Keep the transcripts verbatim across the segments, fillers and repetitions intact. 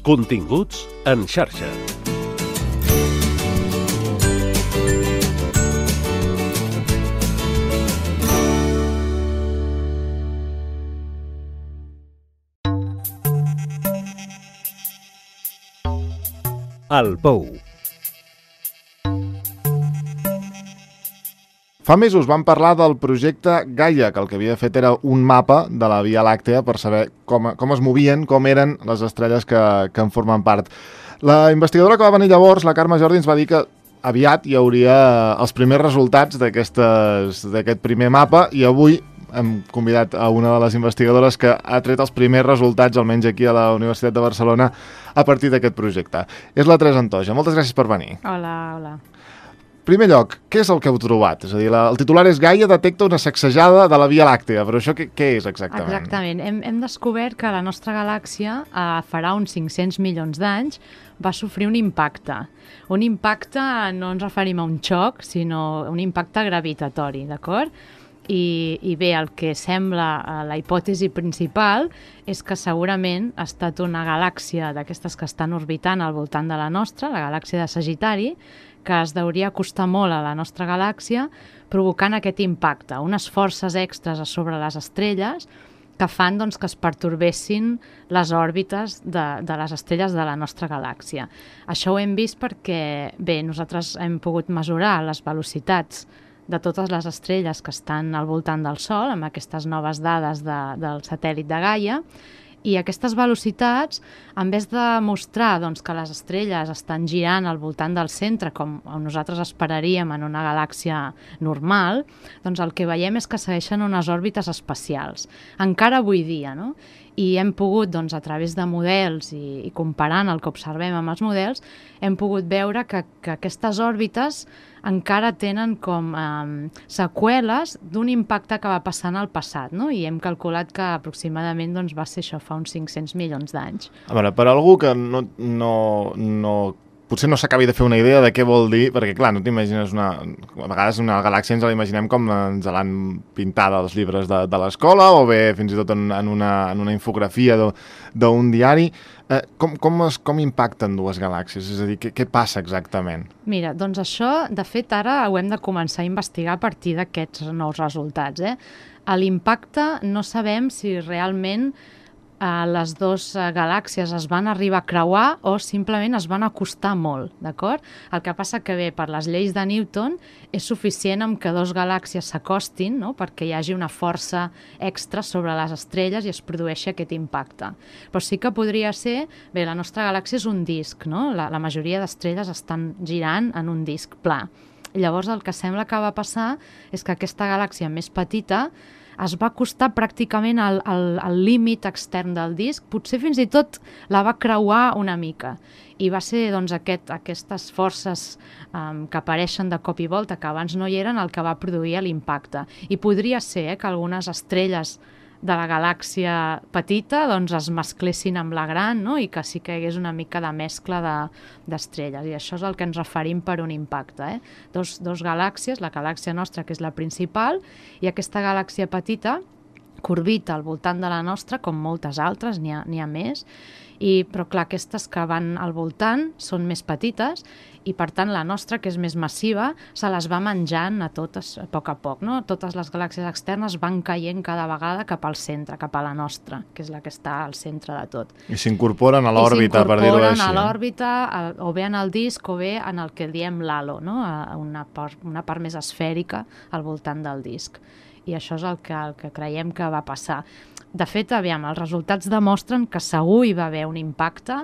Continguts en xarxa. El Pou. Fa mesos vam parlar del projecte Gaia, que el que havia fet era un mapa de la Via Làctea per saber com, com es movien, com eren les estrelles que, que en formen part. La investigadora que va venir llavors, la Carme Jordi, ens va dir que aviat hi hauria els primers resultats d'aquest primer mapa, i avui hem convidat a una de les investigadores que ha tret els primers resultats, almenys aquí a la Universitat de Barcelona, a partir d'aquest projecte. És la Teresa Antoja. Moltes gràcies per venir. Hola, hola. Primer lloc, què és el que heu trobat? És a dir, la, el titular és Gaia detecta una sacsejada de la Via Làctea, però això què, què és exactament? Exactament. Hem, hem descobert que la nostra galàxia, eh, farà uns cinc-cents milions d'anys, va sofrir un impacte. Un impacte, no ens referim a un xoc, sinó un impacte gravitatori, d'acord? I, i bé, el que sembla, la hipòtesi principal és que segurament ha estat una galàxia d'aquestes que estan orbitant al voltant de la nostra, la galàxia de Sagitari, que es deuria acostar molt a la nostra galàxia, provocant aquest impacte, unes forces extres a sobre les estrelles que fan doncs, que es pertorbessin les òrbites de, de les estrelles de la nostra galàxia. Això ho hem vist perquè, bé, nosaltres hem pogut mesurar les velocitats de totes les estrelles que estan al voltant del Sol, amb aquestes noves dades de, del satèl·lit de Gaia, i aquestes velocitats, en vez de mostrar doncs, que les estrelles estan girant al voltant del centre, com nosaltres esperaríem en una galàxia normal, doncs el que veiem és que segueixen unes òrbites espacials, encara avui dia, no? I hem pogut, doncs, a través de models i, i comparant el que observem amb els models, hem pogut veure que, que aquestes òrbites encara tenen com eh, seqüeles d'un impacte que va passar en el passat, no? I hem calculat que aproximadament doncs, va ser això fa uns cinc-cents milions d'anys. A veure, per algú que no, no, no, potser no s'acabi de fer una idea de què vol dir, perquè clar, no t'imagines una... A vegades una galàxia ens la imaginem com ens l'han pintada als llibres de, de l'escola, o bé fins i tot en, en, una, en una infografia d'un diari. Eh, com, com, es, com impacten dues galàxies? És a dir, què, què passa exactament? Mira, doncs això, de fet, ara ho hem de començar a investigar a partir d'aquests nous resultats. Eh? A l'impacte no sabem si realment eh, les dues eh, galàxies es van arribar a creuar o simplement es van acostar molt, d'acord? El que passa que bé, per les lleis de Newton, és suficient amb que dues galàxies s'acostin, no?, perquè hi hagi una força extra sobre les estrelles i es produeixi aquest impacte. Però sí que podria ser... Bé, la nostra galàxia és un disc, no? La, la majoria d'estrelles estan girant en un disc pla. Llavors el que sembla que va passar és que aquesta galàxia més petita es va acostar pràcticament al, al, al límit extern del disc, potser fins i tot la va creuar una mica. I va ser doncs, aquest, aquestes forces um, que apareixen de cop i volta, que abans no hi eren, el que va produir l'impacte. I podria ser eh, que algunes estrelles de la galàxia petita doncs, es mesclessin amb la gran, no? I que sí que hi hagués una mica de mescla d'estrelles. De, I això és el que ens referim per un impacte. Eh? Dos, dos galàxies, la galàxia nostra, que és la principal, i aquesta galàxia petita que orbita al voltant de la nostra, com moltes altres, n'hi ha, n'hi ha més, i, però clar, aquestes que van al voltant són més petites i per tant la nostra, que és més massiva, se les va menjant a totes a poc a poc, no? Totes les galàxies externes van caient cada vegada cap al centre, cap a la nostra, que és la que està al centre de tot. I s'incorporen a l'òrbita, per dir-ho així. I s'incorporen a l'òrbita, o bé en el disc o bé en el que diem l'halo, no? Una part, una part més esfèrica al voltant del disc. I això és el que, el que creiem que va passar. De fet, aviam, els resultats demostren que segur hi va haver un impacte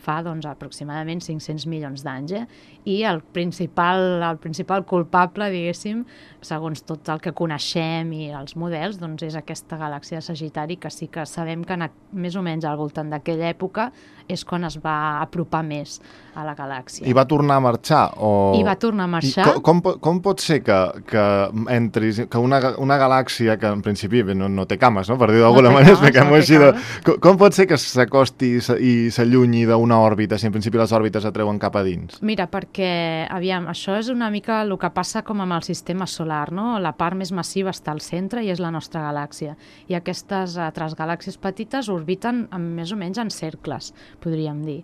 fa doncs, aproximadament cinc-cents milions d'anys. Eh? I el principal, el principal culpable, diguéssim, segons tot el que coneixem i els models, doncs és aquesta galàxia de Sagitari, que sí que sabem que en, més o menys al voltant d'aquella època és quan es va apropar més a la galàxia. I va tornar a marxar? O... I va tornar a marxar. I com, com, com pot ser que, que entris, que una, una galàxia que en principi no, no té cames, no? Per dir d'alguna no manera, expliquem-ho no així. De... Com, com pot ser que s'acosti i s'allunyi d'una una òrbita, si en principi les òrbites atreuen cap a dins? Mira, perquè, aviam, això és una mica el que passa com amb el sistema solar, no? La part més massiva està al centre i és la nostra galàxia. I aquestes altres galàxies petites orbiten en, més o menys en cercles, podríem dir.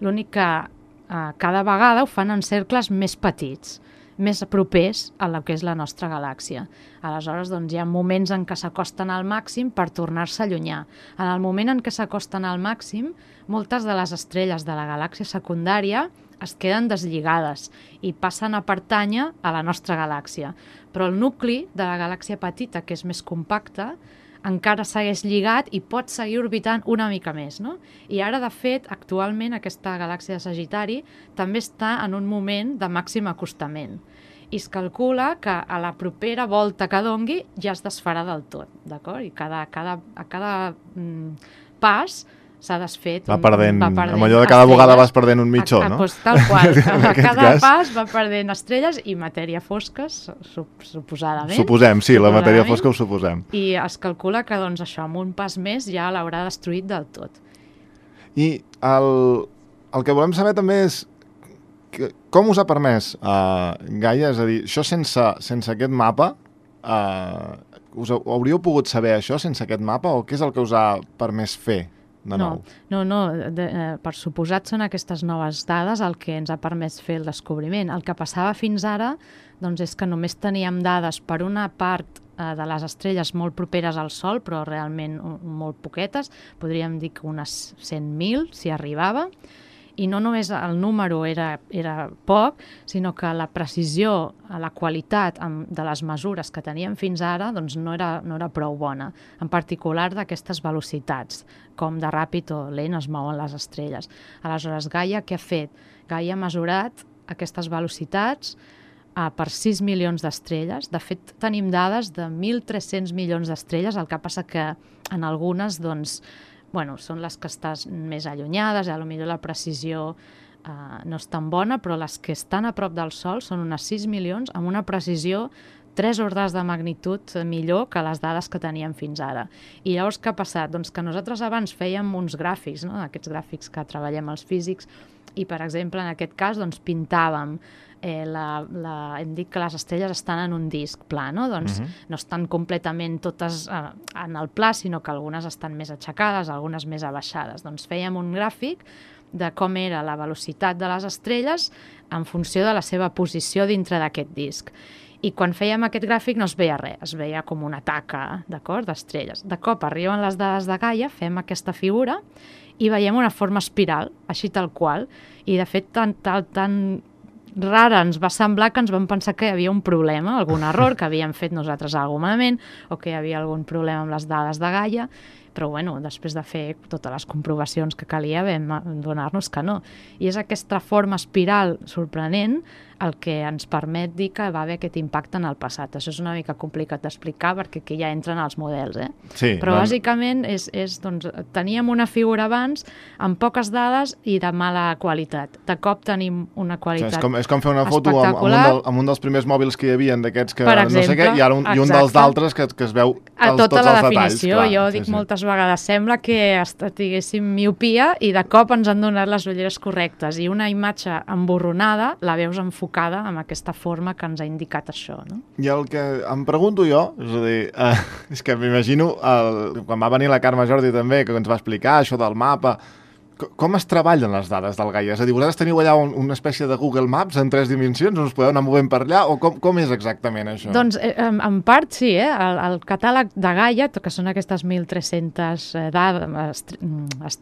L'únic que eh, cada vegada ho fan en cercles més petits, més propers a la que és la nostra galàxia. Aleshores, doncs, hi ha moments en què s'acosten al màxim per tornar-se a allunyar. En el moment en què s'acosten al màxim, moltes de les estrelles de la galàxia secundària es queden deslligades i passen a pertànyer a la nostra galàxia. Però el nucli de la galàxia petita, que és més compacta, encara segueix lligat i pot seguir orbitant una mica més, no? I ara, de fet, actualment aquesta galàxia de Sagitari també està en un moment de màxim acostament. I es calcula que a la propera volta que dongui ja es desfarà del tot, d'acord? I cada, cada, a cada mm, pas s'ha desfet... Va perdent, va perdent amb allò de cada estrelles. vegada vas perdent un mitjó, a, a, no? Pues, tal qual. A cada cas... pas va perdent estrelles i matèria fosca, sup suposadament. Suposem, sí, la matèria fosca ho suposem. I es calcula que doncs, això, amb un pas més ja l'haurà destruït del tot. I el, el que volem saber també és que, com us ha permès uh, Gaia? És a dir, això sense, sense aquest mapa, uh, us hauríeu pogut saber això sense aquest mapa o què és el que us ha permès fer? De nou. No, no, no de, eh, per suposat són aquestes noves dades el que ens ha permès fer el descobriment. El que passava fins ara doncs, és que només teníem dades per una part eh, de les estrelles molt properes al Sol, però realment molt poquetes, podríem dir que unes cent mil, si arribava, i no només el número era, era poc, sinó que la precisió, la qualitat de les mesures que teníem fins ara doncs no, era, no era prou bona, en particular d'aquestes velocitats, com de ràpid o lent es mouen les estrelles. Aleshores, Gaia què ha fet? Gaia ha mesurat aquestes velocitats eh, per sis milions d'estrelles. De fet, tenim dades de mil tres-cents milions d'estrelles, el que passa que en algunes, doncs, bueno, són les que estàs més allunyades, a lo millor la precisió eh, no és tan bona, però les que estan a prop del Sol són unes sis milions amb una precisió tres ordres de magnitud millor que les dades que teníem fins ara. I llavors què ha passat? Doncs que nosaltres abans fèiem uns gràfics, no? Aquests gràfics que treballem els físics, i per exemple en aquest cas doncs, pintàvem Eh, la, la, hem dit que les estrelles estan en un disc pla, no? Doncs uh-huh. no estan completament totes eh, en el pla, sinó que algunes estan més aixecades, algunes més abaixades. Doncs fèiem un gràfic de com era la velocitat de les estrelles en funció de la seva posició dintre d'aquest disc. I quan fèiem aquest gràfic no es veia res, es veia com una taca, d'acord, d'estrelles. De cop arriben les dades de Gaia, fem aquesta figura i veiem una forma espiral, així tal qual, i de fet tan, tan, tan rara ens va semblar que ens vam pensar que hi havia un problema, algun error, que havíem fet nosaltres alguna malament o que hi havia algun problema amb les dades de Gaia, però bueno, després de fer totes les comprovacions que calia vam donar-nos que no. I és aquesta forma espiral sorprenent el que ens permet dir que va haver aquest impacte en el passat. Això és una mica complicat d'explicar perquè aquí ja entren els models, eh? Sí, però no... bàsicament és, és, doncs, teníem una figura abans amb poques dades i de mala qualitat. De cop tenim una qualitat o sigui, és, com, és com fer una foto amb, amb, un del, amb un dels primers mòbils que hi havia d'aquests que exemple, no sé què, i ara un, i un dels d'altres que, que es veu a els, tota tots la els definició. detalls. Clar, jo sí, dic sí. moltes vegades, sembla que tinguéssim miopia i de cop ens han donat les ulleres correctes i una imatge emborronada la veus enfocada amb aquesta forma que ens ha indicat això, no? I el que em pregunto jo, és a dir, eh, és que m'imagino, quan va venir la Carme Jordi també, que ens va explicar això del mapa, com es treballen les dades del Gaia? És a dir, vosaltres teniu allà un, una espècie de Google Maps en tres dimensions, us podeu anar movent per allà, o com, com és exactament això? Doncs, eh, en, en part, sí, eh? El, el catàleg de Gaia, que són aquestes mil tres-centes dades,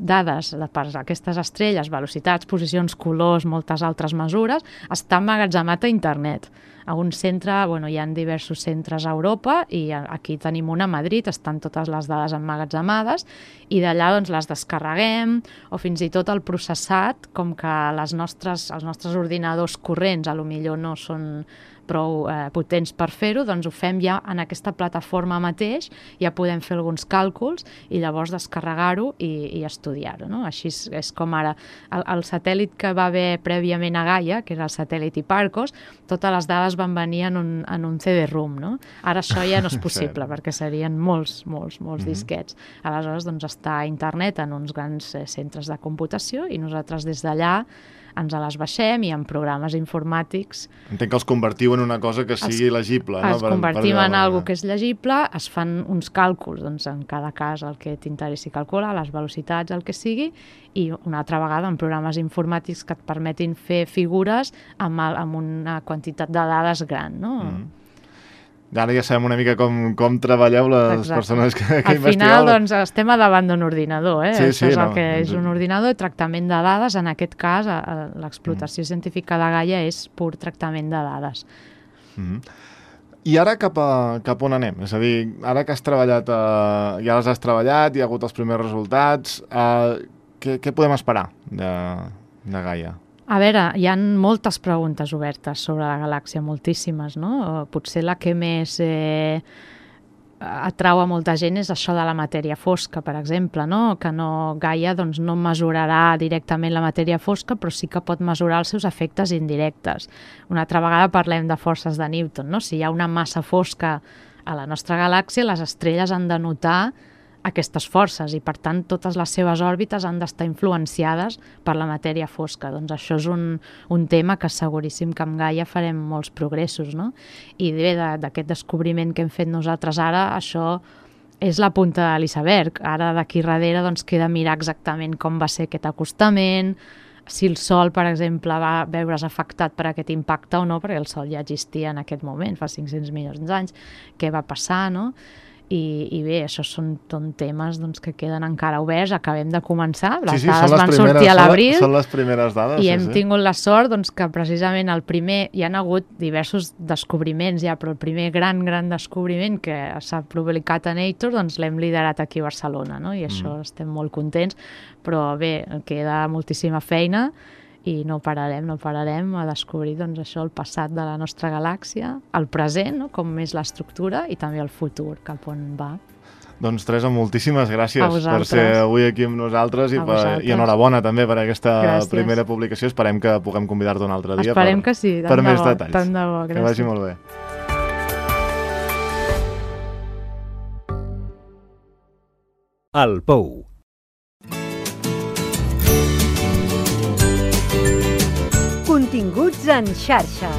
dades per aquestes estrelles, velocitats, posicions, colors, moltes altres mesures, està emmagatzemat a internet. A un centre, bueno, hi ha diversos centres a Europa i aquí tenim una a Madrid, estan totes les dades emmagatzemades i d'allà doncs, les descarreguem o fins i tot el processat, com que les nostres, els nostres ordinadors corrents a lo millor no són prou eh, potents per fer-ho, doncs ho fem ja en aquesta plataforma mateix, ja podem fer alguns càlculs i llavors descarregar-ho i, i estudiar-ho, no? Així és, és com ara el, el satèl·lit que va haver prèviament a Gaia, que era el satèl·lit Hipparcos, totes les dades van venir en un, en un C D-ROM, no? Ara això ja no és possible, perquè serien molts, molts, molts mm-hmm. disquets. Aleshores, doncs, està a internet en uns grans eh, centres de computació i nosaltres des d'allà ens les baixem i en programes informàtics... Entenc que els convertiu en una cosa que sigui els, legible. Els no? convertim per, per en alguna que és legible, es fan uns càlculs, doncs, en cada cas el que t'interessi calcular, les velocitats, el que sigui, i una altra vegada en programes informàtics que et permetin fer figures amb, amb una quantitat de dades gran, no? Mm. Ara ja sabem una mica com, com treballeu les Exacte. persones que, que Al investigueu. Al final, doncs, estem a davant d'un ordinador, eh? Sí, Això sí, és el no. que és un ordinador, tractament de dades, en aquest cas, l'explotació mm. científica de Gaia és pur tractament de dades. Mm. I ara cap, a, cap on anem? És a dir, ara que has treballat, eh, ja les has treballat, hi ha hagut els primers resultats, eh, què, què podem esperar de, de Gaia? A veure, hi ha moltes preguntes obertes sobre la galàxia, moltíssimes, no? Potser la que més eh, atrau a molta gent és això de la matèria fosca, per exemple, no? Que no, Gaia doncs, no mesurarà directament la matèria fosca, però sí que pot mesurar els seus efectes indirectes. Una altra vegada parlem de forces de Newton, no? Si hi ha una massa fosca a la nostra galàxia, les estrelles han de notar aquestes forces i, per tant, totes les seves òrbites han d'estar influenciades per la matèria fosca. Doncs això és un, un tema que seguríssim que amb Gaia farem molts progressos, no? I bé, d'aquest descobriment que hem fet nosaltres ara, això és la punta de l'iceberg. Ara, d'aquí darrere, doncs, queda mirar exactament com va ser aquest acostament, si el Sol, per exemple, va veure's afectat per aquest impacte o no, perquè el Sol ja existia en aquest moment, fa cinc-cents milions d'anys, què va passar, no? I, i bé, això són, són temes doncs, que queden encara oberts, acabem de començar, les sí, sí, dades les van primeres, sortir a l'abril són les primeres dades, i sí, hem sí. tingut la sort doncs, que precisament el primer, hi ha hagut diversos descobriments ja, però el primer gran, gran descobriment que s'ha publicat a Nature doncs l'hem liderat aquí a Barcelona, no? I això mm. estem molt contents, però bé, queda moltíssima feina i no pararem, no pararem a descobrir doncs, això, el passat de la nostra galàxia, el present, no? Com és l'estructura, i també el futur, cap on va. Doncs, Teresa, moltíssimes gràcies per ser avui aquí amb nosaltres i, per, i enhorabona també per aquesta gràcies. primera publicació. Esperem que puguem convidar-te un altre dia Esperem per, que sí, per més bo, detalls. Tant de bo, gràcies. Que vagi molt bé. El Pou. Continguts en xarxa.